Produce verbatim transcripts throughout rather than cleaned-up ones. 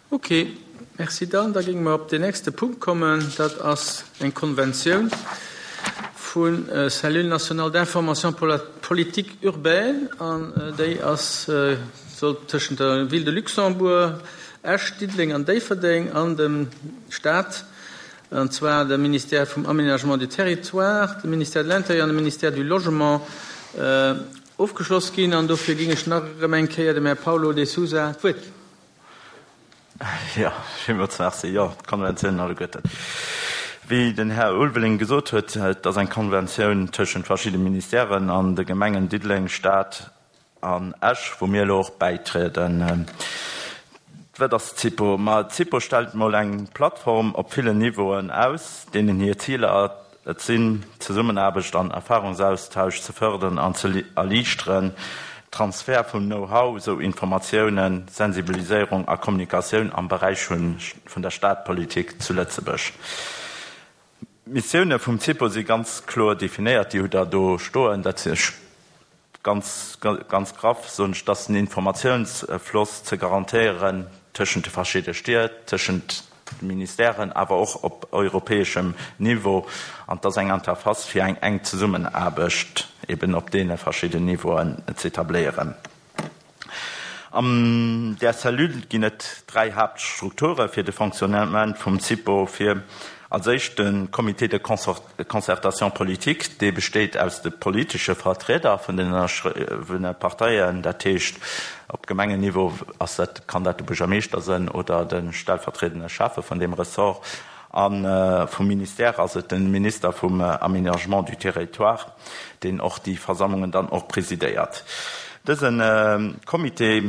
Ok, merci dann. Da géinge mer op den nächste Punkt kommen. Dat ass eng Konventioun vun Cellule nationale d'information pour la politique urbaine an déi ass soll tëschent der Ville de Luxembourg, Esch, Diddeleng an Déifferdeng an dem Staat, an zwar dem Ministère vum Aménagement du Territoire, dem Ministère de l'Intérieur an dem Ministère du Logement ofgeschloss ginn. An dofir géing ech nach erëm eng Kéier dem Här Paulo de Sousa d'Wuert ginn. Jo, villmools merci. Jo, d'Konventiounen alleguerten. Wéi den Här Ulveling gesot huet, et ass eng Konventioun tëschent verschidde Ministèren an de Gemengen Diddeleng, Stad an Esch, wou mir elo och bäitrieden. Wat ass d'CIPO? Ma d'CIPO stellt mol eng Plattform op villen Niveauen aus, deenen hir Ziler et sinn, Zesummenaarbecht an Erfahrungsaustausch ze fërderen an ze erliichteren, Transfert vum Know-how, sou Informatiounen, Sensibiliséierung a Kommunikatioun am Beräich vun der Stadpolitik zu Lëtzebuerg. D'Missioune vum CIPO si ganz kloer definéiert, déi hutt Der do stoen. Dat si ganz, ganz graff soen ech, dass den Informatiounsfloss ze garantéieren tëschent de verschidde Stied, tëschent de Ministèren, awer och op europäeschem Niveau, an dass eng Interface fir eng enk Zesummenaarbecht eben op deene verschidden Niveauen z'etabléieren. An där Cellule ginn et dräi Haaptstrukture fir de Fonctionnement vum CIPO fir als éischt de Comité de concertation politique, dee besteet aus de politesche Vertrieder vun den ënnerschriwwene Parteien, dat heescht op Gemengenniveau ass dat, kann dat de Buergermeeschter sënn oder de stellvertriedende Schäffe vun deem Ressort, a vum Ministère ass et de Minister vum Aménagement du territoire, deen och déi Versammlungen dann och presidéiert. Dëse Comité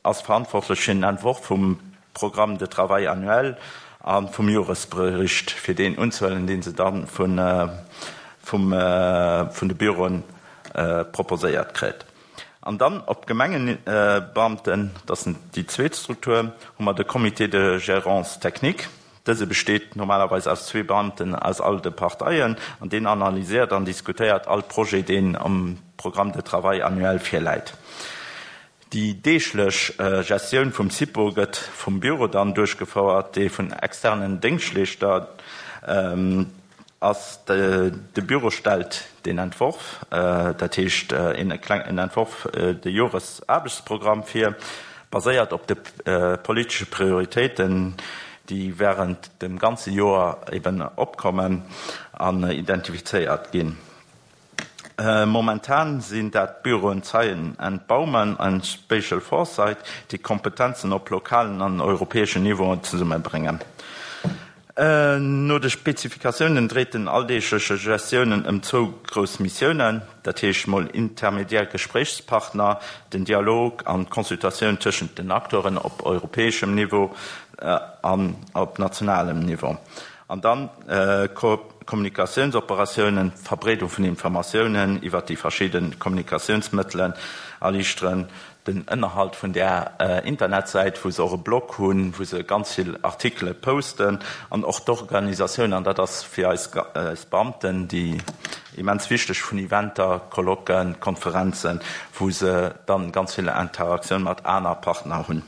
ass verantwortlech fir den Entworf vum Programme de travail annuel a vum Joresbericht, fir deen unzehuelen, dee se da vun de Büroen proposéiert kritt. An dann op Gemengebeamten, dat ass déi zweet Struktur, hu mer de Comité de gérance technique. Dëse besteet normalerweis aus zwee Beamten aus all de Parteien an deen analyséiert an diskutéiert all Projet, deen am Programme de travail annuel virläit. Déi deeglech Gestioun vum SIPO gëtt vum Büro dann duerchgefouert, dee vun externen Déngschtleeschter ass. De Büro stellt den Entworf, dat heescht en klengen Entworf, de Joresaarbechtsprogramm vir, baséiert op de politesche Prioritéiten, déi während dem ganze Joer eben opkommen an identifizéiert ginn. Momentan sinn dat d'Büroen Zeyen and Baumann an Spatial Foresight, déi Kompetenzen op lokalen an europäeschen Niveauen zesummebréngen. No de Spezifikatiounen dréit den alldeegleche Gestiounen ëm zwou grouss Missiounen, dat heescht mol intermediär Gespréichspartner, den Dialog an d'Consultatioun tëschent den Acteuren op europäeschem Niveau an op nationalem Niveau, an dann Kommunikatiounsoperatiounen, d'Verbreedung vun Informatiounen iwwert déi verschidde Kommunikatiounsmëttelen erliichteren, den Ënnerhalt vun där Internetsäit, wou se och e Blog hunn, wou se ganz vill Artikele posten, an och d'Organisatioun, an dat ass fir eis Beamten déi immens wichteg, vun Eventer, Colloquen, Konferenzen, wou se dann ganz vill Interaktioun mat aner Partner hunn.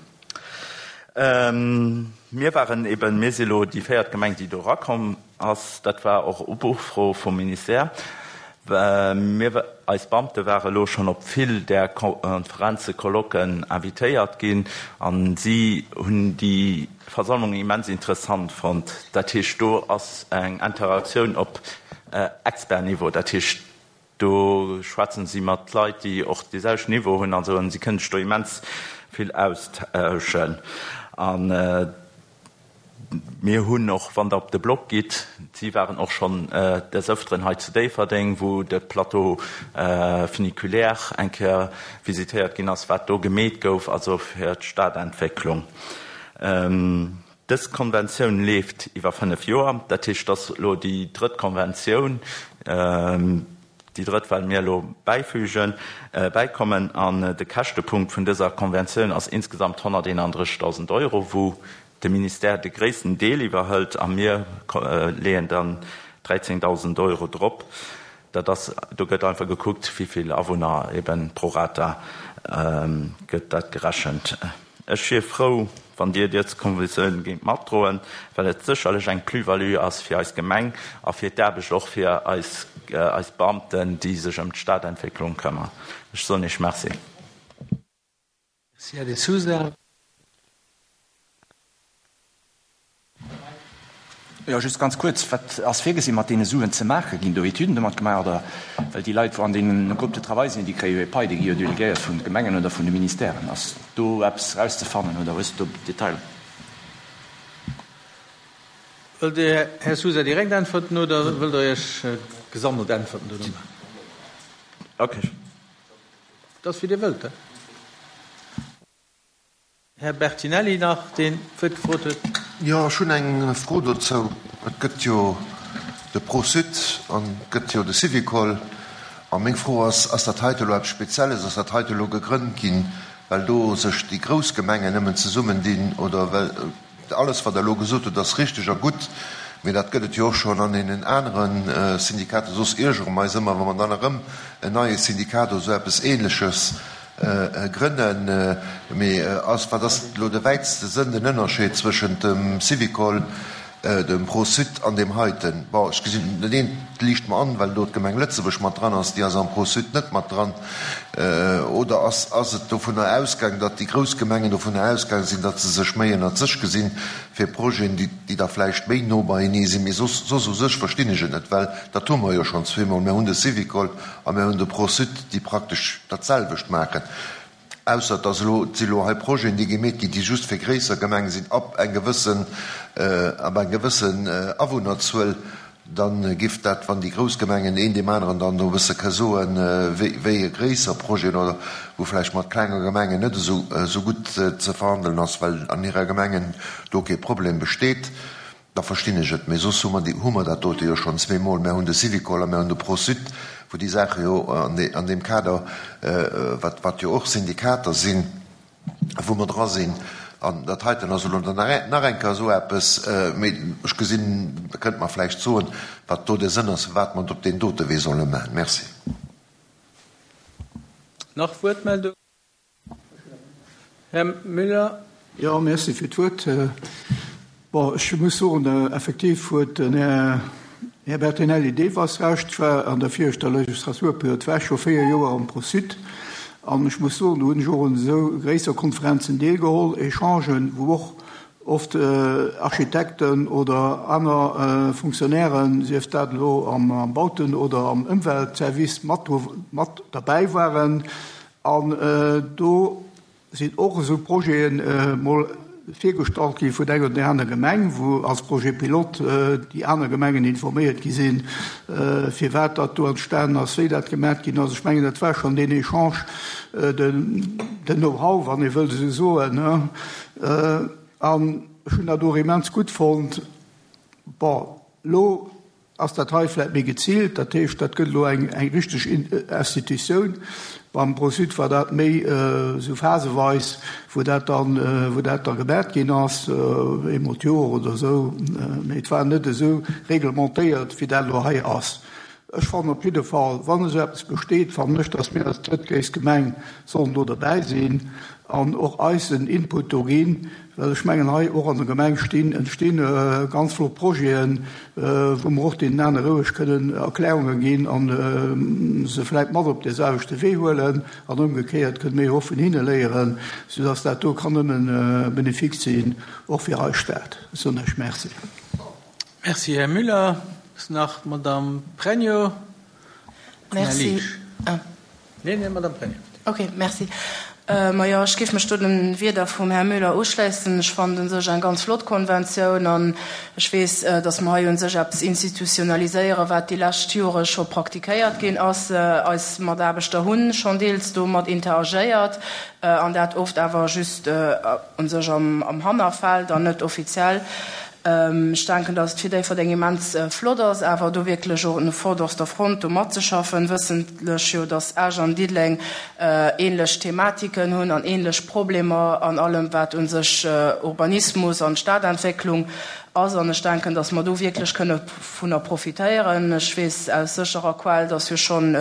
Mir waren eben, mir si lo déi véiert Gemeng, déi do erakomm ass. Dat war och op Ufro vum Ministère. Mir, eis Beamte ware lo schonn op vill där Konferenzen, Colloquen invitéiert ginn a si hunn déi Versammlungen immens interessant fonnt. Dat heescht, do ass eng Interaktioun op Expertniveau. Dat heescht, do schwätzen si mat Leit, déi och dee selwechten Niveau hunn an esou, an si kënnen sech do immens vill austauschen. A mir hunn och, wann Der op de Blog gitt, si waren och schonn des Ëfteren hei zu Déifferdeng, wou de Plateau funiculaire eng Kéier visitéiert ginn ass, wat do gemeet gouf, also fir d'Stadentwécklung. Dës Konventioun leeft iwwer fënnef Joer. Dat heescht, dass elo déi drëtt Konventioun, déi drëtt, well mir elo bäifügen, bäikommen. An de Käschtepunkt vun dëser Konventioun ass insgesamt honnerteenandrëssigdausend Euro, wou de Ministère de gréissten Deel iwwerhëlt a mir leeën dann dräizéngdausend Euro drop. Dat ass, do gëtt einfach gekuckt, wéi vill Awunner, eben pro rata gëtt dat gerechent. Ech wier frou, wann Dir dës Konventioun géingt matdroen, well et sécherlech eng Plus-value ass fir eis Gemeng a fir d'Aarbecht och fir eis, eis Beamten, déi sech ëm d'Stadentwécklung këmmern. Ech soen Iech Merci. Merci, Här De Sousa. Jo, just ganz kuerz, Wat ass virgesinn, mat deene Suen ze maachen? Ginn do Etüden domat gemaach oder? Well déi Leit, wou an deene Groupes de travail sinn, déi kréie jo hir Pai, déi gi jo delegéiert vun de Gemengen oder vun de Ministèren. Ass do eppes erauszefannen oder hues de do Detailer? Wëllt Dir, Här Sousa, direkt äntwerten oder wëllt Der Iech gesammelt äntwerten dono maachen? Okay. Dat ass, wéi Dir wëllt. Här Bertinelli nach, deen d'Wuert gefrot huet. Jo, ech hunn eng Fro dozou. Et gëtt jo de Pro-Sud an et gëtt jo de Syvicol. A meng Fro ass, Ass dat heite elo eppes Spezielles? Ass dat heite elo gegrënnt ginn, well do sech déi grouss Gemengen nëmmen zesummendinn oder well alles, wat Der elo gesot hutt, ass richteg a gutt, mee dat gëtt et jo och schonn an deenen anere Syndikater. Soss iergere mer eis ëmmer, wa mer dann erëm en neie Syndikat oder esou eppes Ähnleches Grënnen. Mee ass, wat ass elo de wäitste Sënn, den Ënnerscheed zwëschent dem Syvicol, dem Pro-Sud an deem heiten? Bon, ech gesinn, dat eent liicht mer an, well do d'Gemeng Lëtzebuerg mat dran ass, déi ass am Pro-Sud net mat dran. Oder ass, ass et dovunner ausgaang, datt déi grouss Gemengen dovunner ausgaang sinn, datt se sech méi ënnert sech gesinn fir Projeten, déi, déi da vläicht méi no beienee sinn? Mee soss, soss u sech verstinn ech et net, well dat hu mer jo schonn zweemol. Mir hunn de Syvicol a mir hunn de Pro-Sud, déi praktesch dat selwecht maachen, ausser dass elo, et si elo hei Projeten, déi gemeet ginn, déi just fir gréisser Gemenge sinn, ab eng gewëssen, ab eng gewëssen Awunnerzuel. Da giff dat, wann déi grouss Gemengen een deem aneren dann do e bësse ka soen, wéi, wéi e gréisser Projet oder wou vläicht mat klenge Gemengen net esou, esou gutt ze verhandelen ass, well an hirer Gemengen do kee Problem besteet. Da verstinn ech et. Mee soss hu mer déi, hu mer dat dote jo schonn zweemol. Mär hunn de Syvicol a mär hunn de Pro-Sud, wou déi Saache jo an de, an deem Kader, wat, wat jo och Syndikater sinn, wou mer dra sinn. An dat heiten ass elo dann nach, nach eng Kéier esou eppes. Mee ech gesinn, Der kënnt mer vläicht soen, wat do de Sënn ass, firwat mer et op deen dote Wee solle maachen. Merci. Nach Wuertmeldungen? Här Müller. Jo, merci fir d'Wuert. Bon, ech muss soen, effektiv huet den Här, Här Bertinelli deelweis Recht. Ech war an der viregter Legislaturperiod, war ech scho véier Joer am Pro-Sud. An ech muss soen, do hunn ech och un esou gréisser Konferenzen deelgeholl, Echangen, wou och oft Architekten oder aner Fonctionnairen, sief dat elo am Bauten oder am Ëmweltservice, mat, mat derbäi waren. An do sinn och esou Projeten mol virgestallt gi vun enger oder där aner Gemeng, wou als Projet pilote déi aner Gemengen informéiert gi sinn, firwat dat do entstanen ass, wéi dat gemat ginn ass. Ech mengen, dat war schonn deen Echange, den Know-how, wann ee wëllt esou soen. An ech hunn dat och immens gutt fonnt. Bon, elo ass dat hei vläicht méi geziilt, dat heescht, dat gëtt elo eng eng richteg Institutioun. Beim Pro-Sud war dat méi esou phaseweis, wou dat dann, wou dat da gemat ginn ass, eemol d'Joer oder esou, mee et war net esou reglementéiert, wéi dat elo hei ass. Ech fannen op jidde Fall, wann esou eppes besteet, fannen ech, dass mir als drëttgréisst Gemeng sollen do derbäi sinn an och eisen Input do ginn, well ech mengen, hei och an der Gemeng stinn, entstinn ganz flott Projeten, wou mer och deenen anere roueg kënnen Erklärunge ginn a se vläicht mat op dee selwechte Wee huelen an ëmgekéiert kënne mir jo och vun hinne léieren, soudass dat do kann nëmme bénéfique sinn, och fir eis Stad. Ech soen Iech Merci. Merci, Här Müller. Ass nach d'Madame Pregno an Här Merci. Liesch. Ah. Nee, nee, Madame Pregno. Okay, merci. Majo, ech géif mech do den Wierder vum Här Müller uschléissen. Ech fannen un sech eng ganz flott Konventioun an ech weess, dass mer hei un sech eppes institutionaliséieren, wat déi lescht Jore scho praktikéiert ginn ass. Eis Mataarbechter hu schonn deels domat interagéiert an dat oft awer just un sech am Hannerfeld an net offiziell. Ech denken, dass et fir Déifferdeng immens flott ass, awer do wierklech och un vorderster Front do matzeschaffen, wëssentlech jo, dass Esch an Diddeleng ähnlech Thematiken hunn an ähnlech Problemer an allem, wat u sech Urbanismus an Stadentwécklung ass. An ech denken, dass mer do wierklech kënne vunner profitéieren. Ech weess aus sécherer Quell, dass jo schonn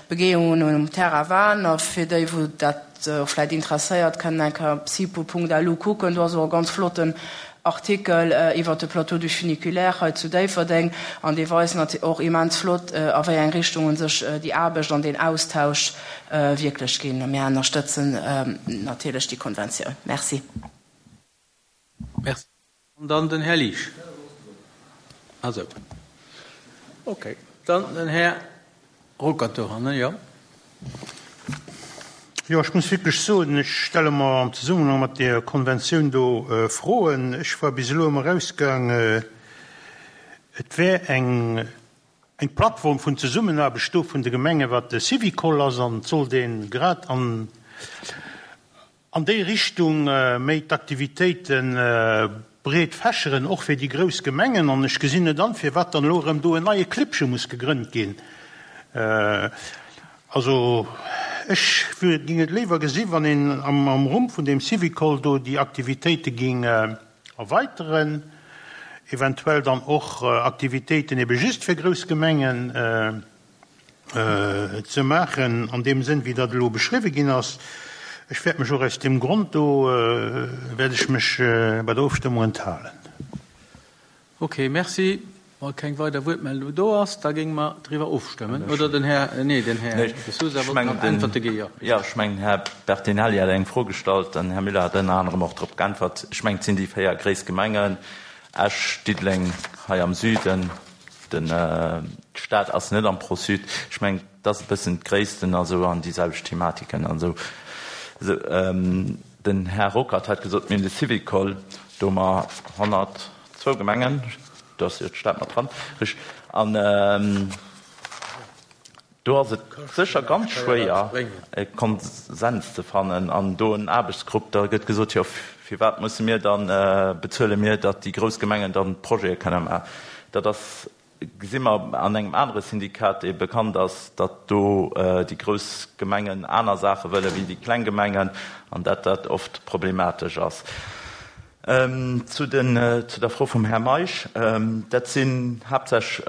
Begehungen um Terrain waren, a fir déi, wou dat dat och vläicht interesséiert, kënnen eng Kéier op sipo Punkt lu kucken. Do ass och e ganz flotten Artikel iwwert de Plateau du Funiculaire hei zu Déifferdeng an dee weist nat och immens flott, a wéi eng Richtung u sech déi Aarbecht an deen Austausch wierklech ginn. A mir ënnerstëtzen natierlech déi Konventioun. Merci. Merci. An dann den Här Liesch. Also, okay. Dann den Här Ruckert dohannen, jo. Jo, ech muss wierklech soen, ech stelle mer am Zesummenhang mat där Konventioun do Froen. Ech war bis elo ëmmer ausgaang, et wär eng, eng Plattform vun Zesummenaarbecht do vun de Gemengen, wat de Syvicol ass, an et sollt ee grad an, an déi Richtung méi d'Aktivitéite breet fächeren, och fir déi grouss Gemengen. An ech gesinn net an, firwat dann elo erëm do en neie Clibbche muss gegrënnt ginn. Also ech géing et léiwer gesi wann een am am Rumm vun deem Syvicol do déi Aktivitéite géing erweiteren, eventuell dann och Aktivitéiten ebe just fir grouss Gemengen ze maachen, an deem Sënn wéi dat elo beschriwwe ginn ass. Ech wäert mech och aus deem Grond do wäert ech mech bei der Ofstëmmung enthalen. Ok, merci. Wa keng weider Wuertmeldung do ass, da géinge mer driwwer ofstëmmen. Oder den Här, nee, den Här De Sousa wollt nach Äntwerte ginn, jo. Jo, ech mengen, den Här Bertinelli hat eng Fro gestallt, den Här Müller hat ënner anerem och drop geäntwert. Ech mengen, et sinn déi véier gréisst Gemengen, Esch, Diddeleng hei am Süden, den, d'Stad ass net am ProSud. Ech mengen, et ass e bëssen d'Gréissten a sou an déi selwecht Thematiken an esou. Den Här Ruckert hat gesot, mir hunn de Syvicol, do hu mer honnertzwou Gemengen, do ass jo d'Stad mat dran, richteg, an do ass et sécher ganz schwéier, e Konsens ze fannen an do en Aarbechtsgrupp, da gëtt gesot, jo firwat musse mir dann, bezuele mir, datt déi grouss Gemengen dann d'Projete kënne maachen. Dat ass, gesi mer an engem anere Syndikat, dee bekannt ass, datt do déi grouss Gemengen aner Saache wëlle wéi déi kleng Gemengen an datt dat oft problematesch ass. Zu den, zu der Fro vum Här Meisch, Dat sinn haaptsächlech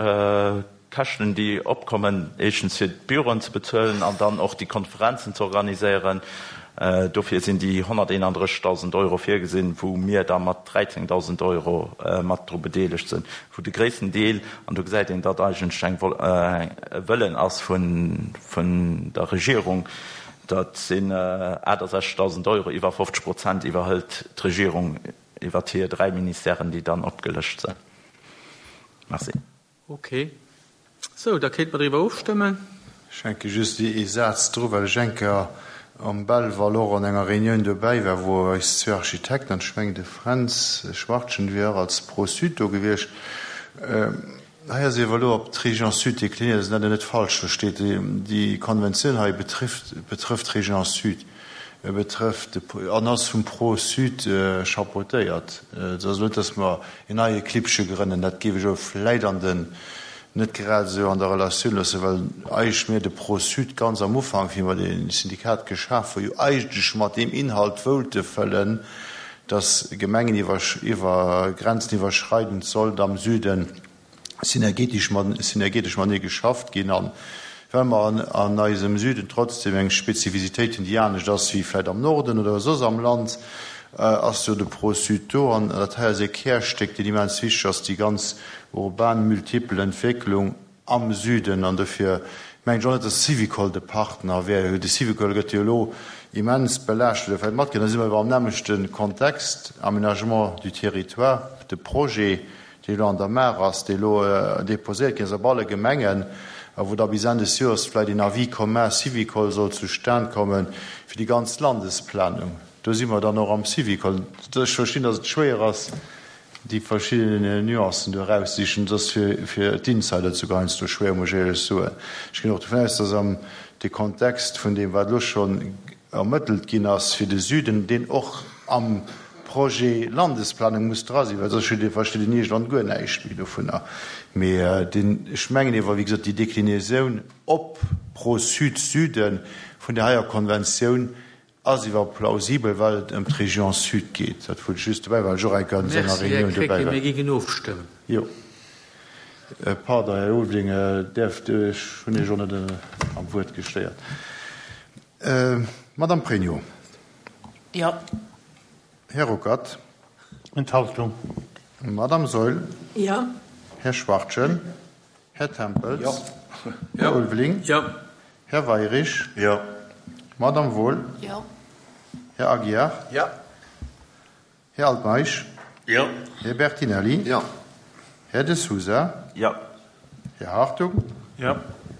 Käschten, déi opkommen, éischtens fir d'Büroen ze bezuelen an dann och déi Konferenzen ze organiséieren. Dofir sinn déi honnerteenandrëssigdausend Euro virgesinn, wou mir da mat dräizéngdausend Euro mat dru bedeelegt sinn, wou de gréissten Deel, an do gesäit een, datt eigentlech eng e Wëllen ass vun der Regierung, dat sinn aachtasechzigdausend Euro, iwwer fofzeg Prozent iwwerhëlt d'Regierung iwwert hir dräi Ministèren, déi dann opgelëscht sinn. Merci. Ok. Sou, da kéinte mer driwwer ofstëmmen. Ech hänke just ee Saz dru, well ech eng Kéier am Belval och an enger Reunioun dobäi war, wou eis zwee Architekten, an ech mengen de Fränz Schwartgen wier och als Pro-Sud do gewiescht, hei ass iewer elo op d'Région Sud deklinéiert, dass een dat net falsch versteet, déi Konventioun hei betrifft betrëfft d'Région Sud, betrëfft an ass vum Pro-Sud chapeautéiert. Et ass elo net, dass mer en neie Clibbche grënnen, dat géif ech elo vläit an den net grad esou an der Relatioun loossen, well eigentlech mir de Pro-Sud ganz am Ufank, wéi mer dee Syndikat geschaf hu, jo eigentlech mat deem Inhalt woullte fëllen, dass Gemengen iwwer, iwwer grenzeniwwerschreidend sollt am Süden synergetesch mat, synergetesch matenee geschafft ginn. A well mer an, an eisem Süden trotzdem eng Spezifisitéit hunn, déi anescht ass wéi vläicht am Norden oder soss am Land, ass jo de Pro-Sud do. An dat hei ass ee Kärstéck, deen immens wichteg ass, déi ganz urban multiple Entwécklung am Süden. An dofir mengen ech och net, dass Syvicol de Partner wär. De Syvicol gëtt jo elo immens belaascht oder vläicht matgehënn. Da si mer awer am nämmlechte Kontext, Aménagement du territoire, de Projet, dee elo an der Maach ass, dee elo déposéiert ginn ass op alle Gemengen a wou da bis Enn des Joers vläicht een Avis commun Syvicol soll zustan komme fir déi ganz Landesplanung. Do si mer dann och am Syvicol. Ech verstinn, dass et schwéier ass, déi verschidden Nuancen do eraussichen. Et ass fir d'Insider souguer heiansdo schwéier, muss ech éierlech soen. Ech ginn och dovun aus, dass am de Kontext vun deem, wat elo schonn ermëttelt ginn ass fir de Süden, deen och am Projet Landesplanung muss dra sinn, well soss versteet een iergendwann guer näischt méi dovunner. Mee deen, ech mengen ewer, wéi gesot, déi Déclinaison op Pro-Sud, Süden vun där heier Konventioun ass iwwer plausibel, well et ëm d'Région Sud geet. Dat wollt ech just dobäi, well ech och eng Kéier an esou enger Merci, Här Réunioun dobäi Krecké. war. Mir géingen ofstëmmen. Jo. Pardon, Här Ulveling, däerft, ech hunn Iech och net am Wuert gestéiert. Madame Pregno. Jo. Här Ruckert. Enthaltung. Madame Saeul. Jo. Här Schwachtgen. Här Tempels. Jo. Här Ulveling. Jo. Här Weirich. Jo. Madame Wohl. Jo. Här Aguiar. Jo. Här Altmeisch. Jo. Här Bertinelli. Jo. Här De Sousa. Jo. Här Hartung. Jo.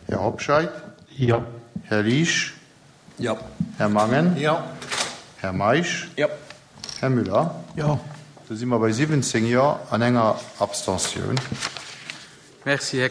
Här Hobscheit. Jo. Här Liesch. Jo. Här Mangen. Jo. Här Meisch. Jo. Här Müller. Jo. Do si mer bei siwwenzéng Jo an enger Abstentioun. Merci, Här.